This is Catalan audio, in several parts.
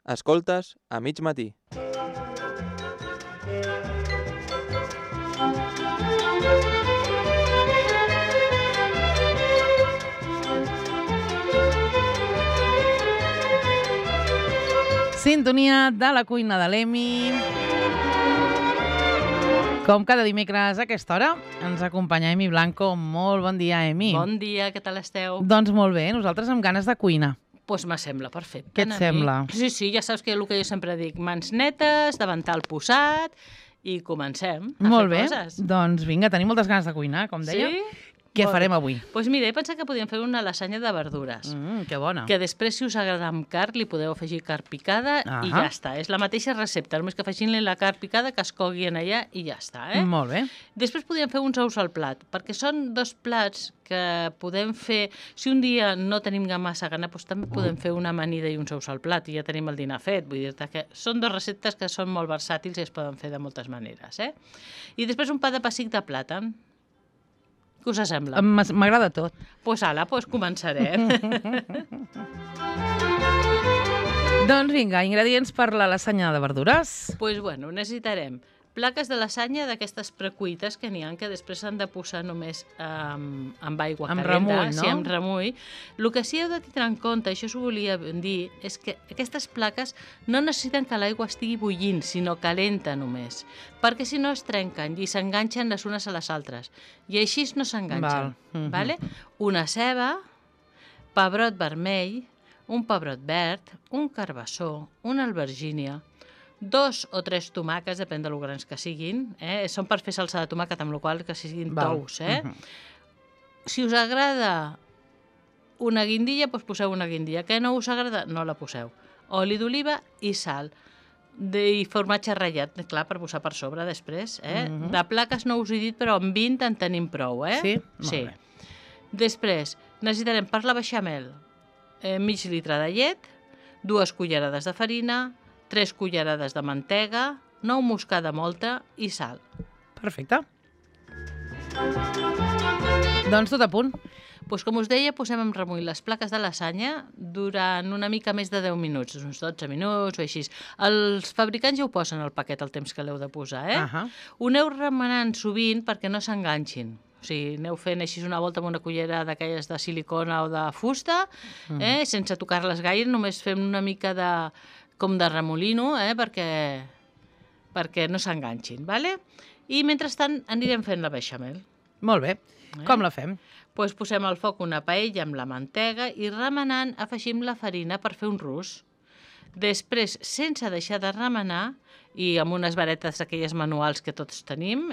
Escoltes a mig matí. Sintonia de la cuina de l'Emi. Com cada dimecres a aquesta hora ens acompanya Emi Blanco. Molt bon dia, Emi. Bon dia, què tal esteu? Doncs molt bé, nosaltres amb ganes de cuina. Doncs me sembla perfecte. Què et sembla? Sí, ja saps que el que jo sempre dic, mans netes, davantal posat i comencem a molt fer bé. coses. Doncs vinga, tenim moltes ganes de cuinar, com deia. Sí? Què farem avui? Doncs mira, he pensat que podíem fer una lasanya de verdures. Que bona. Que després, si us agrada amb carn, li podeu afegir carn picada i ja està. És la mateixa recepta, només que afegint-li la carn picada, que es cogui en allà i ja està. Molt bé. Després podríem fer uns ous al plat, perquè són dos plats que podem fer... Si un dia no tenim massa gana, doncs també podem fer una amanida i uns ous al plat i ja tenim el dinar fet. Vull dir-te que són dos receptes que són molt versàtils i es poden fer de moltes maneres. I després un pa de pessic de plàtan. Què us sembla? M'agrada tot. Doncs ala, començarem. Doncs vinga, ingredients per la lasanya de verdures. Doncs bueno, necessitarem plaques de lasanya d'aquestes precuites que n'hi ha, que després s'han de posar només amb aigua calenta. Amb remull, no? Sí, amb remull. El que sí heu de tenir en compte, això s'ho volia dir, és que aquestes plaques no necessiten que l'aigua estigui bullint, sinó calenta només, perquè si no es trenquen i s'enganxen les unes a les altres. I així no s'enganxen. Vale? Una ceba, pebrot vermell, un pebrot verd, un carbassó, una albergínia, 2 o 3 tomàquets, depèn de lo grans que siguin. Són per fer salsa de tomàquet, amb la qual que siguin tous. Si us agrada una guindilla, doncs poseu una guindilla. Que no us agrada, no la poseu. Oli d'oliva i sal. I formatge ratllat, clar, per posar per sobre després. De plaques no us he dit, però amb 20 en tenim prou. Sí? Molt bé. Després, necessitarem per la beixamel mig litre de llet, 2 cullerades de farina, 3 cullerades de mantega, 9 moscada molta i sal. Perfecte. Doncs tot a punt. Doncs com us deia, posem en remull les plaques de lasanya durant una mica més de 10 minuts, uns 12 minuts o així. Els fabricants ja ho posen al paquet el temps que l'heu de posar. Ho aneu remenant sovint perquè no s'enganxin. O sigui, aneu fent així una volta amb una cullera d'aquelles de silicona o de fusta, sense tocar-les gaire, només fem una mica com de remolino, perquè no s'enganxin. I mentrestant anirem fent la beixamel. Molt bé. Com la fem? Doncs posem al foc una paella amb la mantega i remenant afegim la farina per fer un rus. Després, sense deixar de remenar, i amb unes varetes aquelles manuals que tots tenim,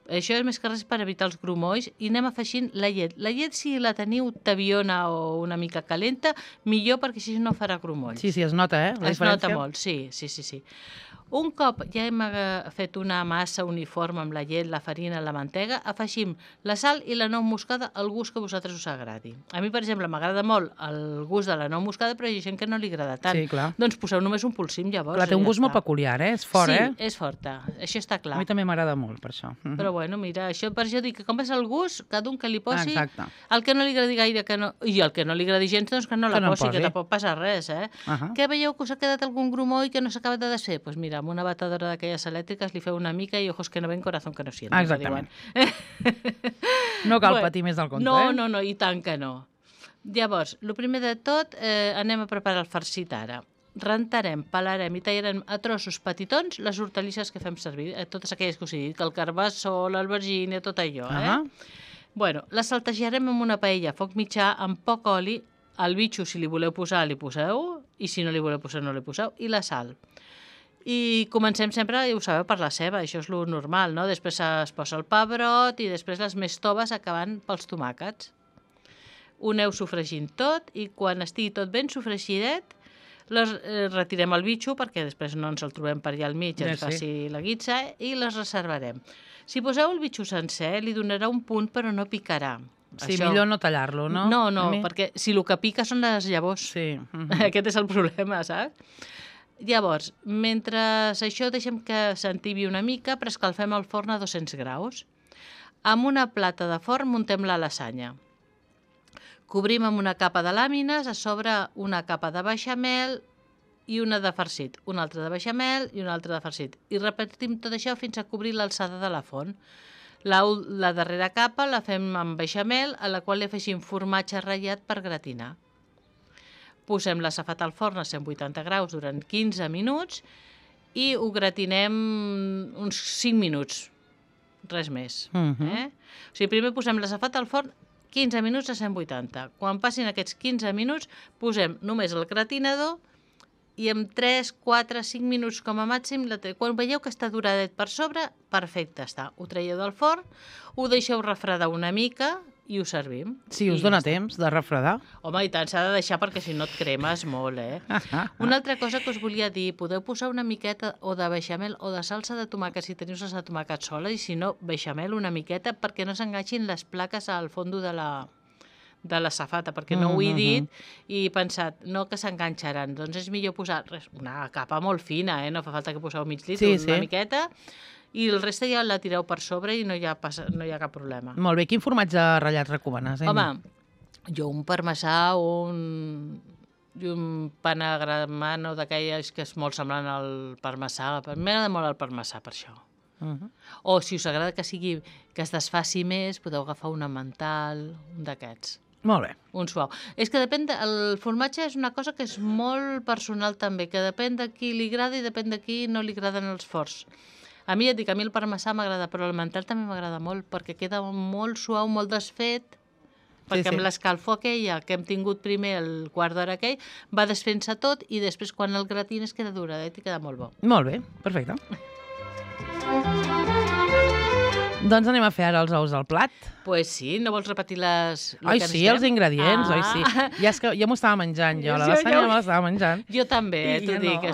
això és més que res per evitar els grumolls, i anem afegint la llet. La llet, si la teniu tabiona o una mica calenta, millor, perquè així no farà grumolls. Sí, es nota, la diferència. Es nota molt, sí. Un cop ja hem fet una massa uniforme amb la llet, la farina, la mantega, afegim la sal i la nou moscada al gust que a vosaltres us agradi. A mi, per exemple, m'agrada molt el gust de la nou moscada, però hi ha gent que no li agrada tant. Sí, clar. Doncs poseu només un polsim, llavors. Clar, té un gust molt peculiar, és fort, Sí, és forta, això està clar. A mi també m'agrada molt, per això. Però bueno, mira, per això dic que com és el gust, cada un que li posi... Exacte. El que no li agradi gaire, i el que no li agradi gens, doncs que no la posi, que tampoc passa res, Que veieu que us ha quedat algun grumoll que no s'ha acabat de desfer? Doncs mira, amb una batedora d'aquelles elèctriques li feu una mica i ojos que no ven, corazón que no sienten. Exactament. No cal patir més del compte, No, i tant que no. Llavors, el primer de tot, anem a preparar el farcit ara. Rentarem, pelarem i tallarem a trossos petitons les hortalisses que fem servir, totes aquelles que us he dit, que el carbassó, l'albergínia, tot allò. Bueno, les saltejarem en una paella a foc mitjà amb poc oli. El bitxo, si li voleu posar, li poseu, i si no li voleu posar, no li poseu, i la sal. I comencem sempre, ja ho sabeu, per la ceba, això és lo normal, no? Després es posa el pebrot i després les més toves acabant pels tomàquets. Ho aneu sofregint tot i quan estigui tot ben sofregidet, retirem el bitxo perquè després no ens el trobem per allà al mig, ens faci la guitza, i les reservarem. Si poseu el bitxo sencer, li donarà un punt però no picarà. Sí, millor no tallar-lo, no? No, perquè si el que pica són les llavors. Sí. Aquest és el problema, saps? Llavors, mentre això deixem que s'entibi una mica, preescalfem el forn a 200 graus. Amb una plata de forn muntem la lasanya. Cobrim amb una capa de làmines, a sobre una capa de beixamel, i una de farcit, una altra de beixamel i una altra de farcit. I repetim tot això fins a cobrir l'alçada de la font. La darrera capa la fem amb beixamel, a la qual li afegim formatge ratllat per gratinar. Posem la safata al forn a 180 graus durant 15 minuts i ho gratinem uns 5 minuts, res més. O sigui, primer posem la safata al forn 15 minuts a 180. Quan passin aquests 15 minuts, posem només el gratinador i en 3, 4, 5 minuts com a màxim, quan veieu que està duradet per sobre, perfecte està. Ho traieu del forn, ho deixeu refredar una mica i ho servim. Sí, us dona temps de refredar. Home, i tant, s'ha de deixar perquè si no et cremes molt, eh? Una altra cosa que us volia dir, podeu posar una miqueta o de beixamel o de salsa de tomàquet si teniu salsa de tomàquet sola i si no, beixamel una miqueta perquè no s'enganxin les plaques al fondo de la safata, perquè no ho he dit i he pensat, no que s'enganxaran, doncs és millor posar una capa molt fina, no fa falta que poseu mig litre, una miqueta, i el reste ja la tireu per sobre i no hi ha cap problema. Molt bé, quin formatge ratllat recomanes? Home, jo un parmesà o un panagramano d'aquelles que és molt semblant al parmesà, m'agrada molt el parmesà per això. O si us agrada que es desfaci més, podeu agafar un emmental, un d'aquests. Molt bé. Un suau. És que depèn el formatge és una cosa que és molt personal també, que depèn de qui li agrada i depèn de qui no li agraden els forts. A mi, ja et dic, a mi el parmesà m'agrada, però l'emmental també m'agrada molt, perquè queda molt suau, molt desfet, perquè amb l'escalfor aquella que hem tingut primer el quart d'hora aquell, va desfent-se tot i després quan el gratines queda duradet i queda molt bo. Molt bé, perfecte. Doncs anem a fer ara els ous al plat. Pues sí, no vols repetir les... Oi, sí, els ingredients, oi, sí. Ja és que ja m'ho estava menjant jo, la lasanya me l'estava menjant. Jo també, t'ho dic,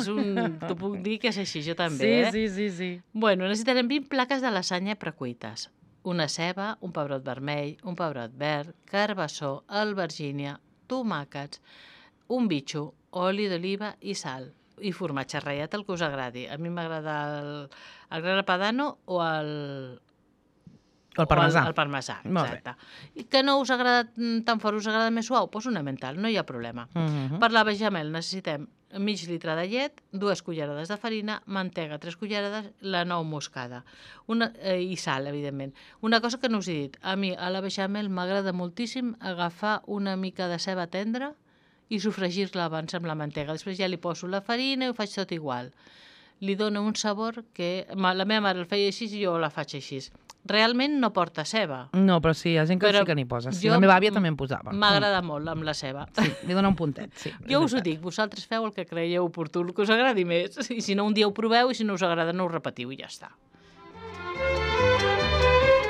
t'ho puc dir que és així, jo també. Sí. Bueno, necessitarem 20 plaques de lasanya precuites. Una ceba, un pebrot vermell, un pebrot verd, carbassó, albergínia, tomàquets, un bitxo, oli d'oliva i sal. I formatge ratllat, el que us agradi. A mi m'agrada el grana padano o el parmesà. El parmesà, exacte. I que no us agrada tan fort, us agrada més suau? Doncs un emmental, no hi ha problema. Per la beixamel necessitem mig litre de llet, 2 cullerades de farina, mantega, 3 cullerades, la nou moscada i sal, evidentment. Una cosa que no us he dit, a mi a la beixamel m'agrada moltíssim agafar una mica de ceba tendra i sofregir-la abans amb la mantega. Després ja li poso la farina i ho faig tot igual. Li dona un sabor que... La meva mare el feia així i jo la faig així. Realment no porta ceba. No, però sí, hi ha gent que sí que n'hi posa. Sí, la meva àvia també en posava. M'agrada molt amb la ceba. Sí, li dona un puntet, sí. Jo us ho dic, vosaltres feu el que creieu oportú, el que us agradi més. I si no, un dia ho proveu i si no us agrada no ho repetiu i ja està.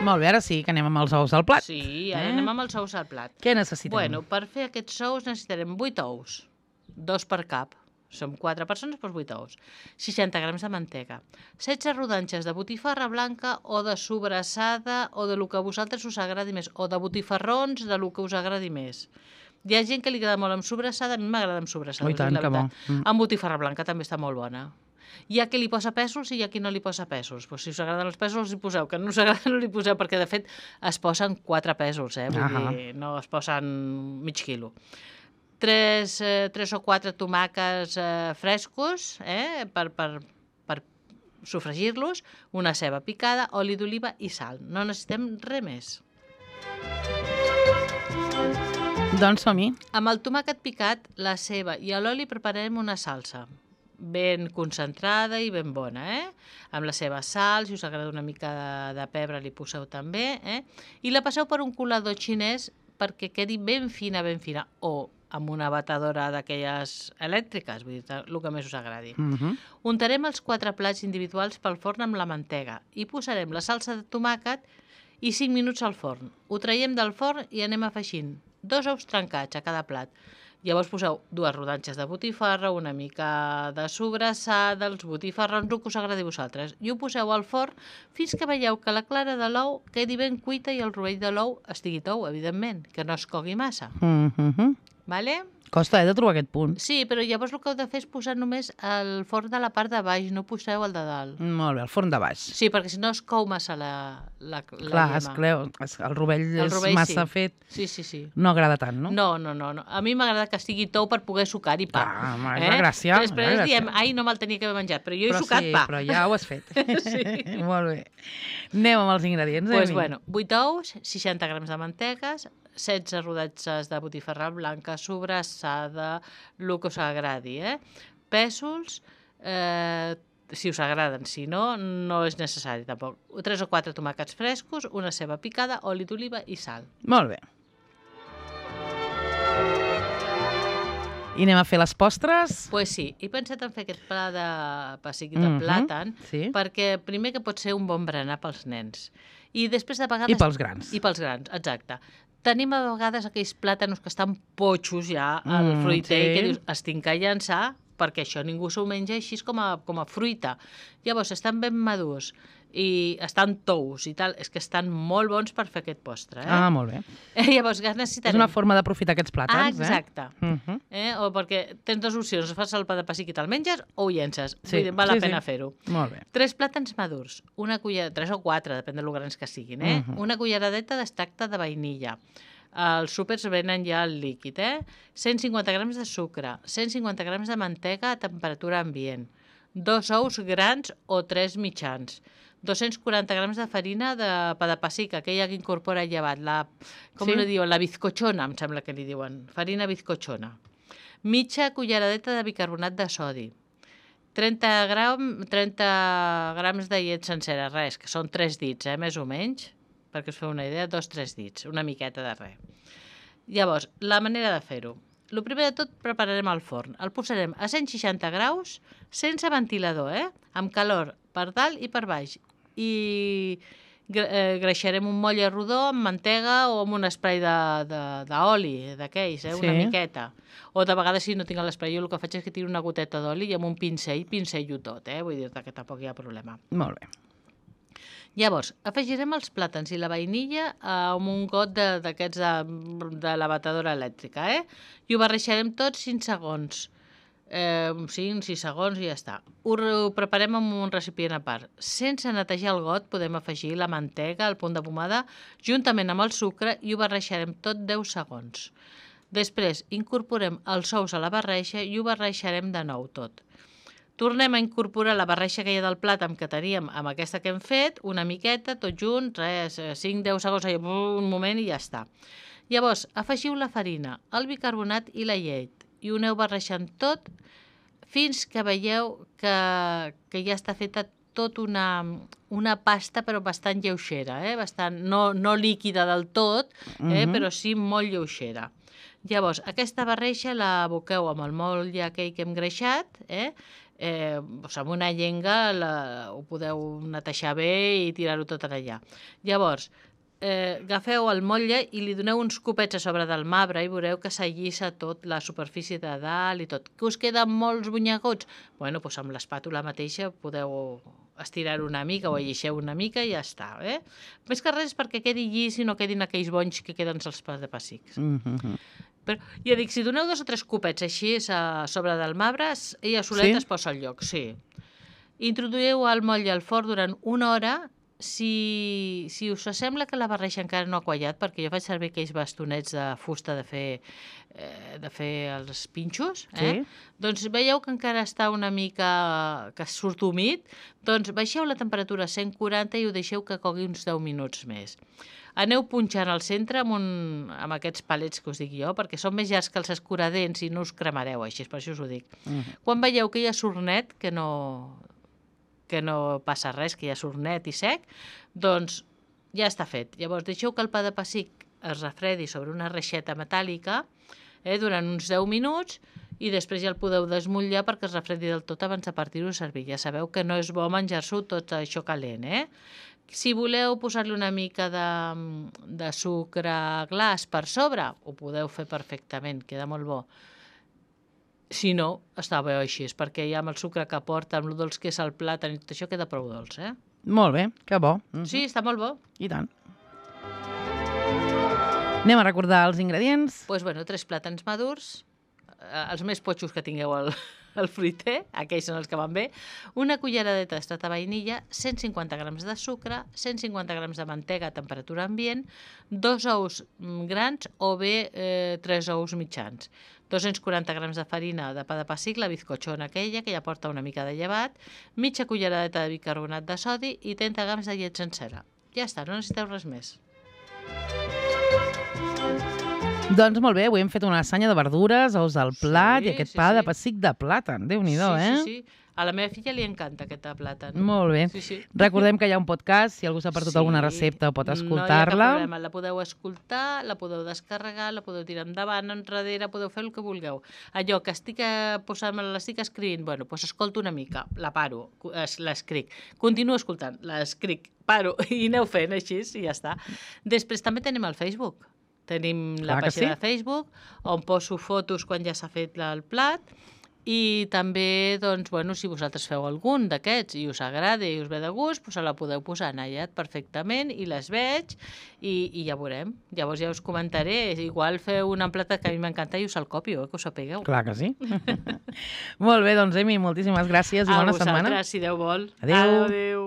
Molt bé, ara sí que anem amb els ous al plat. Sí, ara anem amb els ous al plat. Què necessitem? Bueno, per fer aquests ous necessitarem 8 ous, 2 per cap. Som 4 persones, doncs 8 ous. 60 grams de mantega. 16 rodanxes de botifarra blanca o de sobrassada o de lo que a vosaltres us agradi més. O de botifarrons, de lo que us agradi més. Hi ha gent que li agrada molt amb sobrassada, a mi m'agrada amb sobrassada. I tant, que bo. Amb botifarra blanca també està molt bona. Hi ha qui li posa pèsols i hi ha qui no li posa pèsols. Pues si us agraden els pèsols, hi poseu. Que no us agrada, no li poseu, perquè de fet es posen 4 pèsols, vull dir, no es posen mig quilo. 3 o 4 tomàquets frescos per sofregir-los, una ceba picada, oli d'oliva i sal. No necessitem res més. Doncs som-hi. Amb el tomàquet picat, la ceba i l'oli prepararem una salsa ben concentrada i ben bona, amb la seva sal, si us agrada una mica de pebre li poseu també, i la passeu per un colador xinès perquè quedi ben fina, o amb una batedora d'aquelles elèctriques, vull dir, el que més us agradi. Untarem els 4 plats individuals pel forn amb la mantega i posarem la salsa de tomàquet i 5 minuts al forn. Ho traiem del forn i anem afegint 2 ous trencats a cada plat. Llavors poseu 2 rodanxes de botifarra, una mica de sobrassada, els botifarrons, el que us agradi a vosaltres. I ho poseu al forn fins que veieu que la clara de l'ou quedi ben cuita i el rovell de l'ou estigui tou, evidentment, que no es cogui massa. Vale? Costa, de trobar aquest punt. Sí, però llavors el que heu de fer és posar només el forn de la part de baix, no poseu el de dalt. Molt bé, el forn de baix. Sí, perquè si no es cou massa la Clar, llema. el rovell és rovell massa sí. fet, Sí. no agrada tant, no? No. A mi m'agrada que estigui tou per poder sucar i pa. Ah, home, és la gràcia. Després diem, ai, no me'l tenia que haver menjat, però jo he sucat pa. Però ja ho has fet. Sí. Molt bé. Anem amb els ingredients, Doncs, Emi. bueno, 8 ous, 60 grams de mantegues, 16 rodatges de botifarra blanca, sobrassada, el que us agradi, Pèsols, si us agraden, si no, no és necessari tampoc. 3 o 4 tomàquets frescos, una ceba picada, oli d'oliva i sal. Molt bé. I anem a fer les postres? Pues sí, he pensat en fer aquest pla de pessic de plàtan, sí. perquè primer que pot ser un bon berenar pels nens. I després de vegades... I pels grans. I pels grans, exacte. Tenim a vegades aquells plàtanos que estan potxos ja al fruiter i que dius, es tinc que llançar perquè això ningú s'ho menja així com a fruita. Llavors, estan ben madurs i estan tous i tal, és que estan molt bons per fer aquest postre. Ah, molt bé. Llavors, necessitarem... És una forma d'aprofitar aquests plàtans, exacte. O perquè tens dues opcions, fas el pa de pessic i te'l menges o ho llences. Vull dir, val la pena fer-ho. Molt bé. 3 plàtans madurs, 3 o 4, depèn de lo grans que siguin, una culleradeta d'extracte de vainilla. Els súpers venen ja el líquid, 150 grams de sucre, 150 grams de mantega a temperatura ambient, 2 ous grans o 3 mitjans, 240 grams de farina de pa de pessic, aquella que incorpora el llevat, li diuen? La bizcochona, em sembla que li diuen, farina bizcochona. Mitja culleradeta de bicarbonat de sodi, 30 grams de llet sencera, res, que són 3 dits, més o menys, perquè us feu una idea, 2-3 dits, una miqueta de res. Llavors, la manera de fer-ho. El primer de tot prepararem el forn. El posarem a 160 graus, sense ventilador, amb calor per dalt i per baix. I greixarem un motlle rodó amb mantega o amb un spray d'oli, d'aquells, una miqueta. O de vegades, si no tinc l'espray, jo el que faig és que tiro una goteta d'oli i amb un pincello tot, vull dir-te que tampoc hi ha problema. Molt bé. Llavors, afegirem els plàtans i la vainilla amb un got d'aquests de la batedora elèctrica, i ho barreixarem tot 5 segons. 5-6 segons i ja està. Ho preparem en un recipient a part. Sense netejar el got podem afegir la mantega, el punt de pomada, juntament amb el sucre i ho barreixarem tot 10 segons. Després incorporem els ous a la barreixa i ho barreixarem de nou tot. Tornem a incorporar la barreixa aquella del plàtan que teníem amb aquesta que hem fet, una miqueta, tot junt, 5-10 segons, un moment i ja està. Llavors, afegiu la farina, el bicarbonat i la llet i ho aneu barrejant tot fins que veieu que ja està feta tot una pasta però bastant lleugera, bastant, no líquida del tot, però sí molt lleugera. Llavors, aquesta barreixa la aboqueu amb el motlle aquell que hem greixat, amb una llenga ho podeu netejar bé i tirar-ho tot allà. Llavors, agafeu el motlle i li doneu uns copets a sobre del marbre i veureu que s'allissa tot la superfície de dalt i tot. Que us queden molts bunyegots? Bueno, doncs amb l'espàtula mateixa podeu estirar una mica o allixeu una mica i ja està. Més que res perquè quedi llis i no quedin aquells bonys que queden als pas de pessics. Però, ja dic, si doneu 2 o 3 copets així a sobre del marbre, ella soleta es posa al lloc, sí. Introduïu el motlle al forn durant 1 hora. Si us sembla que la barreixa encara no ha quallat, perquè jo faig servir aquells bastonets de fusta de fer els pinxos, doncs veieu que encara està una mica que surt humit, doncs baixeu la temperatura a 140 i ho deixeu que cogui uns 10 minuts més. Aneu punxant al centre amb aquests palets que us dic jo, perquè són més llargs que els escuradents i no us cremareu així, per això us ho dic. Quan veieu que ja surt net, que no passa res, que ja surt net i sec, doncs ja està fet. Llavors deixeu que el pa de pessic es refredi sobre una reixeta metàl·lica durant uns 10 minuts i després ja el podeu desmotllar perquè es refredi del tot abans de partir-ho a servir. Ja sabeu que no és bo menjar-s'ho tot això calent, Si voleu posar-li una mica de sucre glaç per sobre, ho podeu fer perfectament, queda molt bo. Si no, està bé així, perquè ja amb el sucre que porta, amb el dolç que és el plàtan i tot això, queda prou dolç, Molt bé, que bo. Sí, està molt bo. I tant. Anem a recordar els ingredients. Doncs, 3 plàtans madurs, els més potxos que tingueu el fruiter, aquells són els que van bé, una culleradeta d'extrat de vainilla, 150 grams de sucre, 150 grams de mantega a temperatura ambient, 2 ous grans o bé 3 ous mitjans, 240 grams de farina de pa de pessic, la bizcochona aquella, que ja porta una mica de llevat, mitja culleradeta de bicarbonat de sodi i 30 grams de llet sencera. Ja està, no necessiteu res més. Doncs molt bé, avui hem fet una lasanya de verdures, ous al plat Sí, i aquest sí, pa de sí. pessic de plàtan. Déu-n'hi-do, Sí, eh? sí, sí. A la meva filla li encanta aquest de plàtan. Molt bé. Sí, sí. Recordem que hi ha un podcast, si algú s'ha perdut alguna recepta pot No hi ha cap escoltar-la. problema, la podeu escoltar, la podeu descarregar, la podeu tirar endavant, enrere, podeu fer el que vulgueu. Allò que estic l'estic escrivint, bueno, doncs escolto una mica, la paro, l'escric, continuo escoltant, l'escric, paro, i aneu fent així, i ja està. Després també tenim el Facebook. Tenim la Clar que pàgina sí. de Facebook, on poso fotos quan ja s'ha fet el plat, i també, doncs, bueno, si vosaltres feu algun d'aquests i us agrada i us ve de gust, doncs la podeu posar en allà perfectament i les veig i ja veurem. Llavors ja us comentaré. Igual feu una plata que a mi m'encanta i us el copio, que ho sapigueu. Clar que sí. Molt bé, doncs, Emi, moltíssimes gràcies i bona setmana. A vosaltres, si Déu vol. Adéu. Adéu.